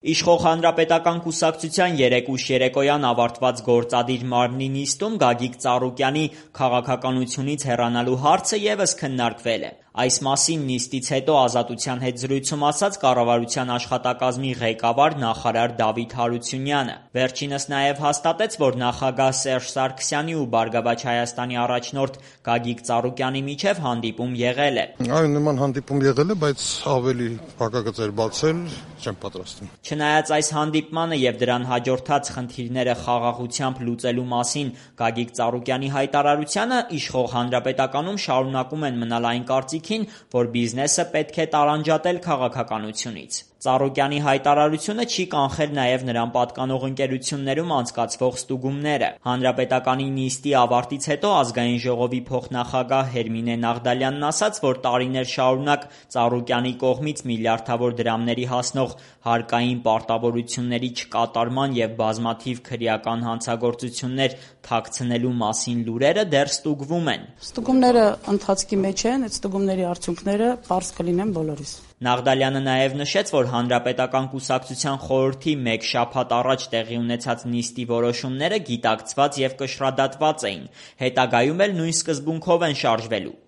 Իշխող Հանրապետական կուսակցության երեկույթ երեկոյան ավարտված գործադիր մարմնի նիստում Գագիկ Ծառուկյանի քաղաքականությունից հեռանալու հարցը ևս քննարկվել է։ Այս մասին նիստից հետո Ազատության հետ զրույցում ասաց կառավարության աշխատակազմի ղեկավար նախարար Դավիթ Հարությունյանը։ Վերջինս նաև հաստատեց, որ նախագահ Սերժ Սարգսյանի ու Բարգավաճ Հայաստանի առաջնորդ Գագիկ Ծառուկյանի միջև հանդիպում եղել է։ Այո, նման հանդիպում եղել է, բայց ավելի փակագծեր բացել չեմ պատրաստվում։ Չնայած այս հանդիպմանը եւ դրան հաջորդած խնդիրները խաղաղությամբ լուծելու մասին Գագիկ Ծառուկյանի հայտարարությանը, իշխող Հանրապետականում շարունակում են մնալ այն կարծիքին, որ բիզնեսը պետք է տարանջատել քաղաքականությունից։ Ծառուկյանի հայտարարությունը չի կանխել նաև նրան պատկանող ընկերություններում անցկացվող ստուգումները։ Հանրապետականի նիստի ավարտից հետո Ազգային ժողովի փոխնախագահ Հերմինե Նաղդալյանն ասաց, որ տարիներ շարունակ Ծառուկյանի կողմից միլիարդավոր դրամների հասնող հարկային պարտավորությունների չկատարման եւ բազմաթիվ քրեական հանցագործություններ թաքցնելու մասին լուրերը դեռ ստուգվում են։ Ստուգումները ընթացքի մեջ են, այդ ստուգումների արդյունքները պարզ կլինեն բոլորիս։ Նաղդալյանը նաև նշեց, որ Հանրապետական կուսակցության խորհրդի մեկ շաբաթ առաջ տեղի ունեցած նիստի որոշումները գիտակցված եւ կշռադատված էին, հետագայում էլ նույն սկզբունքով են շարժվելու։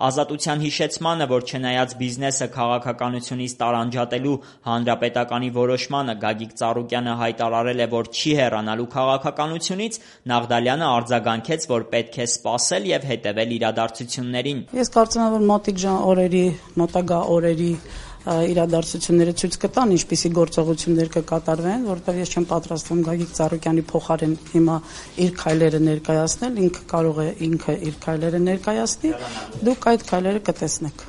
Ազատության հիշեցմանը, որ չնայած բիզնեսը քաղաքականությունից տարանջատելու Հանրապետականի որոշմանը Գագիկ Ծառուկյանը հայտարարել է, որ չի հեռանալու քաղաքականությունից, Նաղդալյանը արձագանքեց, որ պետք է սպասել եւ հետեւել իրադարձություններին։ Ես կարծում եմ, որ մոտակա օրերի իրադարձությունները ցույց կտան, ինչպիսի գործողություններ կկատարվեն, որովհետև ես չեմ պատրաստվում Գագիկ Ծառուկյանի փոխարեն հիմա իր քայլերը ներկայացնել, ինքը կարող է իր քայլերը ներկայացնի, դուք այդ քայլերը կտեսնեք։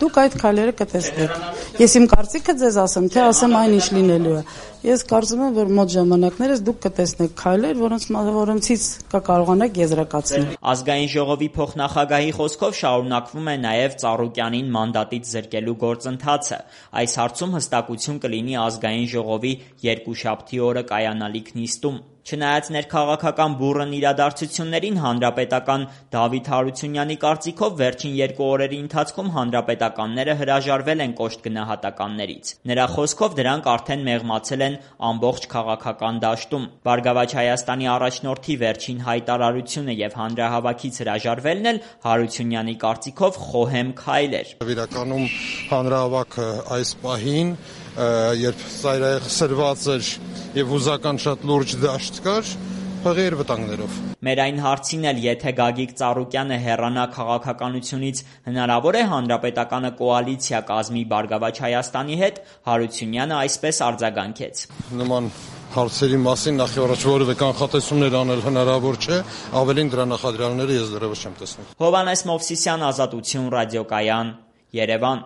Դուք այդ քայլերը կտեսնեք։ Ես իմ կարծիքը ձեզ ասեմ, թե ասեմ այն ինչ լինելու է։ Ես կարծում եմ, որ մոտ ժամանակներս դուք կտեսնեք քայլեր, որոնցից կկարողանաք եզրակացնել։ Ազգային ժողովի փոխնախագահի խոսքով շարունակվում է նաև Ծառուկյանին մանդատից զրկելու գործընթացը։ Այս հարցում հստակություն կլինի Ազգային ժողովի երկուշաբթի օրը կայանալիք նիստում։ Չնայած ներքաղաքական բուռն իրադարձություններին հանրապետական Դավիթ Հարությունյանի կարծիքով վերջին 2 օրերի ընթացքում հանրապետականները հրաժարվել են կոշտ գնահատականներից։ Նրա խոսքով դրանք արդեն մեղմացել են ամբողջ քաղաքական դաշտում։ Բարգավաճ Հայաստանի առաջնորդի վերջին հայտարարությունը եւ հանրահավաքից հրաժարվելն էլ Հարությունյանի կարծիքով խոհեմ քայլ էր։ Իրականում հանրահավաքը այս պահին, երբ սրված էր եւ հուզական շատ լուրջ դաշտ կար, փղեր վտանգներով։ Մեր այն հարցին էլ, եթե Գագիկ Ծառուկյանը հեռանա քաղաքականությունից, հնարավոր է Հանրապետականը կոալիցիա կազմի Բարգավաճ Հայաստանի հետ, Հարությունյանը այսպես արձագանքեց։ Նման հարցերի մասին նախ եւ առաջ որևէ կանխատեսումներ անել հնարավոր չէ, ավելին դրա նախադրյալները ես դեռևս չեմ տեսնում։ Հովհաննես Մովսիսյան, Ազատություն, ռադիոկայան, Երևան։